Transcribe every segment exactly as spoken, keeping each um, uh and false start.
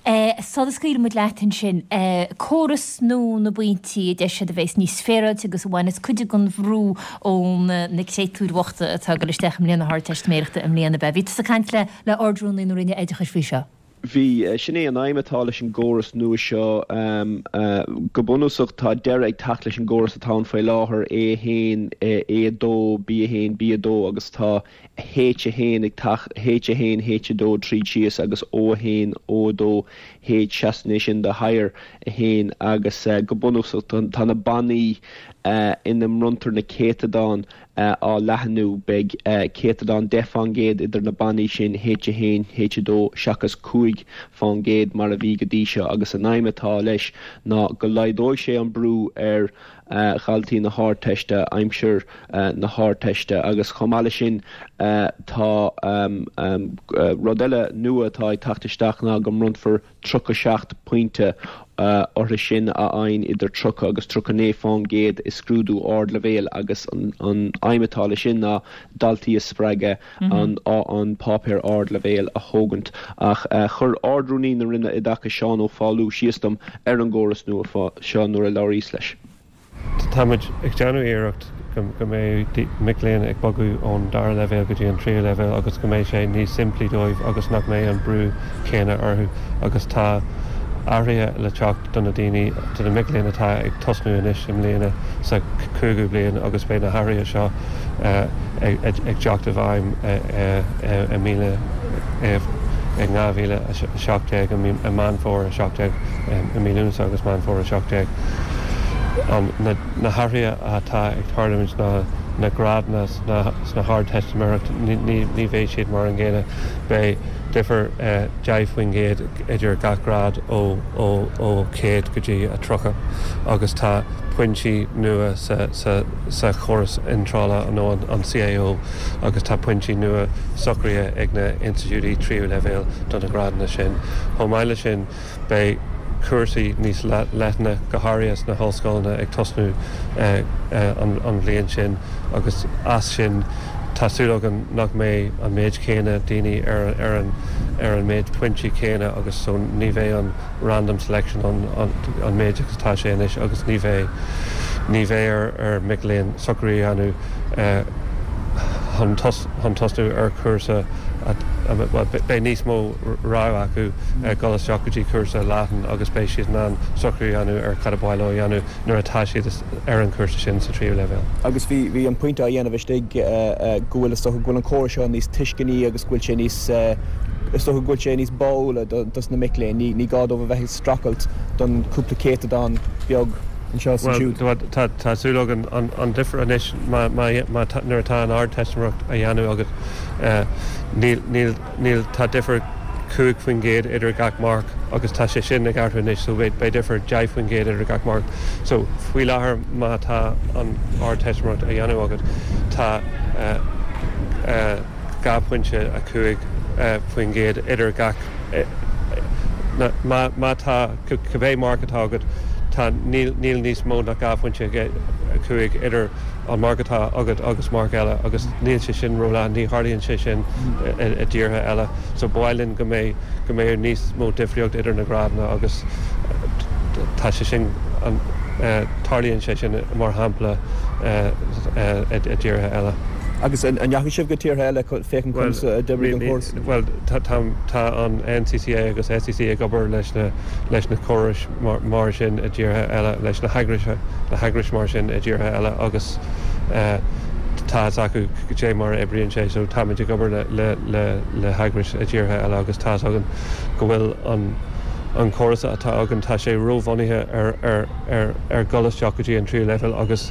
Sula scaoileann muid leat ansin, córas nua na bpointí a deir siad a bheas níos féaráilte agus a bhaineas cuid den bhrú ó na créatúir bhochta atá ag dul isteach i mbliain na hArdteistiméireachta i mbliana. Bhí tusa ag caint le le Ard-Rúnaí na Roinne Oideachais faoi seo. Bhí sin é an aidhm atá leis an gcóras nua seo go bunúsach tá deireadh ag teacht leis an gcóras atá ann faoi láthair A haon A dó B a haon B a dó agus tá H a haon ag teacht H a haon H a dó tríd síos agus O a haon O a dó H seasann é sin do higher a haon agus go bunúsach tá na bannaí ina mbronntar na céatadáin á leathnú beidh céatadán deich faoin gcéad idir na bannaí sin H a haon H a dó seachas cúig faoin gcéad mar a bhí go dtí seo agus an aidhm atá leis ná go laghdóidh sé an brú ar dhaltaí na hArdteiste aimsir na hArdteiste agus chomh maith leis sin tá rud eile nua atá ag teacht isteach ná go mbronnfar tríocha seacht pointe orthu sin a fhaigheann idir tríocha agus tríocha naoi faoin gcéad i scrúdú ardleibhéil agus an aidhm atá leis sin ná daltaí a spreagadh an an páipéar ardleibhéil a thógaint ach chuir Ard-Rúnaí na Roinne Oideachais Seán Ó Foghlú síos dom ar an gcóras nua seo nuair a labhraíos leis. Táimid ag déanamh iarracht go mbeidh mic léinn ag bogadh ón dara leibhéal go dtí an tríú leibhéal agus go mbeidh sé níos simplí dóibh agus nach mbeidh an brú céanna orthu agus tá athruithe le teacht do na daoine do na mic léinn atá ag tosnú anois i mbliana sa cúigiú bliain agus beidh na hathruithe seo ag teacht i bhfeidhm i míle i dhá mhíle a seacht déag i Meán Fómhair a seacht déag i mí Lúnasa agus Meán Fómhair a seacht déag. Na hathruithe atá ag tarlúint ná na grádanna sna hArdteistiméireacht ní bheidh siad mar an gcéanna beidh difear deich faoin gcéad idir gach grád ó ó ó céad go dtí a tríocha agus tá pointí nua sa sa sa chóras iontrála nó an CAO agus tá pointí nua socraithe ag na institiúidí tríú leibhéal do na grádanna sin. Chomh maith leis sin beidh cúrsaí níos leithne go háirithe sna hollscoileanna ag tosnú an bhliain sin agus as sin tá súil againn nach mbeidh an méid céanna daoine ar ar an ar an méid pointí céanna agus so ní bheidh an random selection an an an méid agus tá sé anois agus ní bheidh ní bheidh ar ar mic léinn socrú a dhéanamh chun chun tosnú ar chúrsa beidh níos mó rogha acu dul isteach go dtí cúrsa leathan agus beidh siad in ann socrú a dhéanamh ar cad ba mhaith leo a dhéanamh nuair atá siad ar an chúrsa sin sa tríú leibhéal. Agus bhí bhí an pointe á dhéanamh istigh go bhfuil is dócha go bhfuil an córas seo níos tuisceanaí agus go bhfuil sé níos is dócha go bhfuil sé níos báúla dos na mic léinn, ní ní gá dóibh a bheith ag streachailt don cúpla céatadán beag anseo is ansiúd. Well tá tá súil againn an an difear anois má má nuair atá an Ardteistiméireacht á dhéanamh agat níl níl níl tá difear cúig faoin gcéad idir gach marc agus tá sé sin ag athrú anois so beidh difear deich faoin gcéad idir gach marc. So faoi láthair má tá an Ardteistiméireacht á dhéanamh agat tá dhá phointe a cúig faoin gcéad idir gach má má tá cibé marc atá agat tá níl níl níos mó ná dhá phointe a cúig idir an marc atá agat agus marc eile agus níl sé sin róleathan ní tharlaíonn sé sin i dtíortha eile so ba mhaith linn go mbeidh go mbeidh níos mó difríocht idir na grádanna agus tá sé sin an tarlaíonn sé sin mar shampla i dtíortha eile. Agus an ndeachaigh sibh go tíortha eile féachaint conas a d'oibrigh an córas? Well tá an NCCA agus SEC ag obair leis na leis na córais mar sin i dtíortha eile leis na heagrais na heagrais mar sin i dtíortha eile agus tá acu sé mar a oibríonn sé so táimid ag obair le le le heagrais i dtíortha eile agus tá againn go bhfuil an an córas atá againn tá sé róbhunaithe ar ar ar ar dhul isteach go dtí an tríú leibhéal agus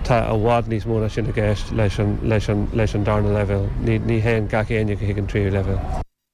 tá i bhfad níos mó ná sin i gceist leis an leis an leis an darna leibhéal ní ní théann gach éinne chuig an tríú leibhéal.